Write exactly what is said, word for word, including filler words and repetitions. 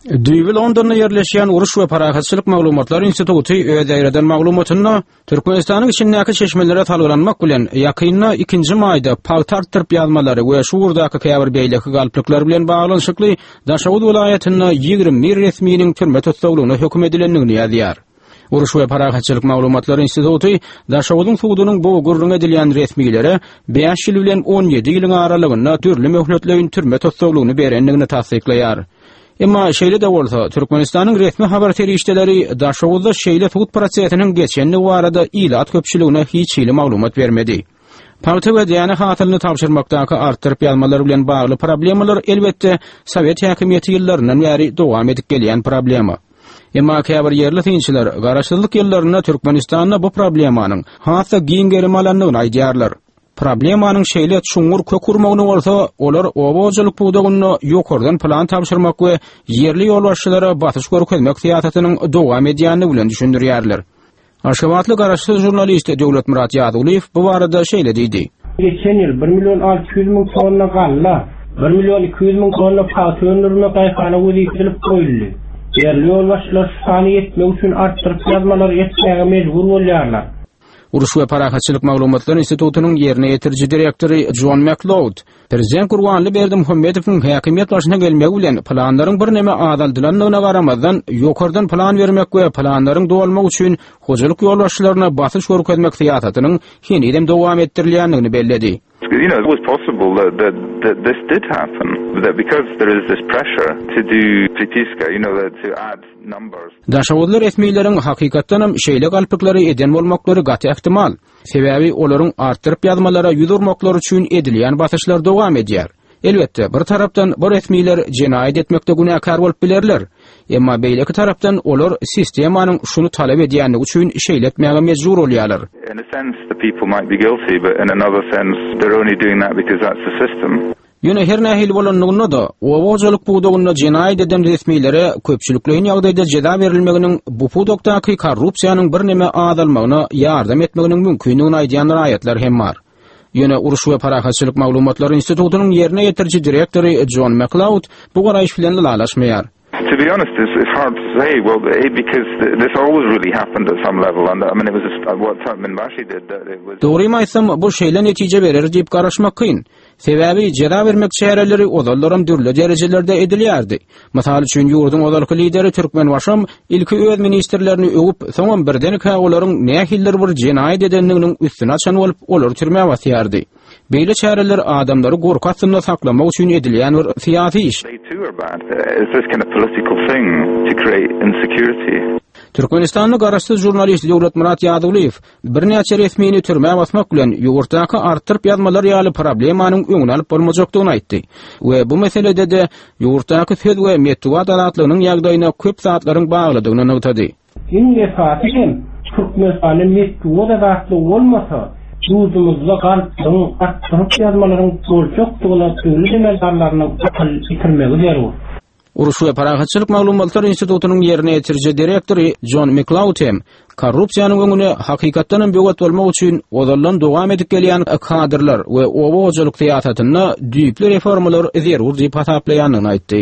Düýbi Londonda ýerleşýän Uruş we parahatçylyk maglumatlar instituty öz ýaýradan maglumatynda Türkmenistanyň içindäki çeşmelere salgylanmak bilen ýakynda ikinji maýda pagta artdyryp ýazmalary we şu ugurdaky käbir beýleki galplyklar bilen baglanyşykly Daşoguz welaýatynda ýigrimi bir resminiň türme tussaglygyna höküm edilendigini ýazýar. Uruş we parahatçylyk maglumatlar instituty Daşoguzyň sudunyň bu gürrüň edilýän resmilere bäş ýyl bilen on ýedi ýylyň aralygynda dürli möhletleýin türme tussaglygyny berendigini tassyklaýar. Emma şeýle-de bolsa, Türkmenistanyň resmi habar serişdeleri Daşoguzda şeýle sud prosesiniň geçendigi barada ilat köpçüligine hiç hili maglumat bermedi. Pagta we däne hasylyny tabşyrmakdaky artdyryp ýazmalar bilen bagly problemalar elbetde Sowet häkimiýeti ýyllaryndan bäri dowam edip gelýän problema. Emma käbir ýerli synçylar garaşsyzlyk ýyllarynda Türkmenistanda bu problemanyň has-da giň gerim alandygyny aýdýarlar. Problemanyň şeýle çuňňur kök urmagyny bolsa, olar oba hojalyk pudagynda ýokardan plan tabşyrmak we ýerli ýolbaşçylara basyş görkezmek syýasatynyň dowam edýändigi bilen düşündirýärler. Aşgabatly garaşsyz žurnalist Döwletmyrat Ýazulyýew bu barada şeýle diýdi. Geçen ýyl bir million alty ýüz müň tonna galla, bir million iki ýüz müň tonna pagta öndürmek daýhana wezipe edilip goýuldy. Ýerli ýolbaşçylar şu sany ýetmek üçin artdyryp ýazmalary etmäge mejbur bolýarlar. Uruş we parahatçylyk maglumatlar institutynyň ýerine ýetiriji direktory John McLeod, Prezident Gurbanguly Berdimuhamedowyň häkimiýet başyna gelmegi bilen planlaryň birneme azaldylandygyna garamazdan, ýokardan plan bermek we planlaryň dolmagy üçin hojalyk ýolbaşçylaryna basyş görkezmek syýasatynyň henizem dowam etdirilýändigini belledi. You know, it was possible that, that, that this did happen, that because there is this pressure to do pritiska, you know, that to add numbers. Daşoguzly resmileriň hakykatdanam şeýle galpyklary eden bolmaklary gaty ähtimal. Sebäbi olaryň artdyryp ýazmalara ýüz urmaklary üçin edilýän basyşlar dowam edýär. Elbetde, bir tarapdan bu resmiler jenaýat etmekde günäkär bolup bilerler. Emma beýleki tarapdan olar sistemanyň şuny talap edýändigi üçin şeýle etmäge mejbur bolýarlar. In a sense the people might be guilty, but in another sense they're only doing that because that's the system. Ýöne her nähili bolanlygynda-da, oba hojalyk pudagynda jenaýat eden resmilere köpçülikleýin ýagdaýda jeza berilmeginiň bu pudakdaky korrupsiýanyň birneme azalmagyna ýardam etmeginiň mümkindigini aýdýan raýatlar hem bar. Ýöne Uruş we parahatçylyk maglumatlary institutynyň ýerine ýetiriji direktory John McLeod bu garaýyş bilen ylalaşmaýar. To be honest, it's, it's hard to say. Well, eh, because th-, this always really happened at some level, and I mean, it was just, uh, what Turkmenbashi did. That it was. Dogrymy aýtsam, bu şeýle netije berer diýip garaşmak kyn. Sebäbi jeza bermek çäreleri ozallaram dürli derejelerde edilýärdi. Mysal üçin, ýurduň ozalky lideri Türkmenbaşam ilki öz ministrlerini öwüp, soňam birdenkä olaryň nähilidir bir jenaýat edendiginiň üstüni açan bolup, olary türmä basýardy. Beýle çäreler adamlary gorky astynda saklamak üçin edilýän bir syýasy iş. They too are bad. It's this kind of political thing to create insecurity. Türkmenistanly garaşsyz žurnalist Döwletmyrat Ýazulyýew birnäçe resmini türmä basmak bilen ýurtdaky artdyryp ýazmalar ýaly problemanyň öňüni alyp bolmajakdygyny aýtdy. We bu meselede-de ýurtdaky söz we metbugat azatlygynyň ýagdaýyna köp zatlaryň baglydygyny nygtady. Iň esasy hem Türkmenistanda metbugat azatlygy bolmasa, ýurdumyzda galplygyň, artdyryp ýazmalaryň boljakdygyna döwlet emeldarlarynyň akyl ýetirmegi zerur. Uruş we parahatçylyk maglumatlar institutynyň ýerine ýetiriji direktory John McLeod hem korrupsiýanyň öňüne hakykatdan hem böwet bolmak üçin ozaldan dowam edip gelýän kadrlar we oba hojalyk syýasatynda düýpli reformalar zerur diýip hasaplaýandygyny aýtdy.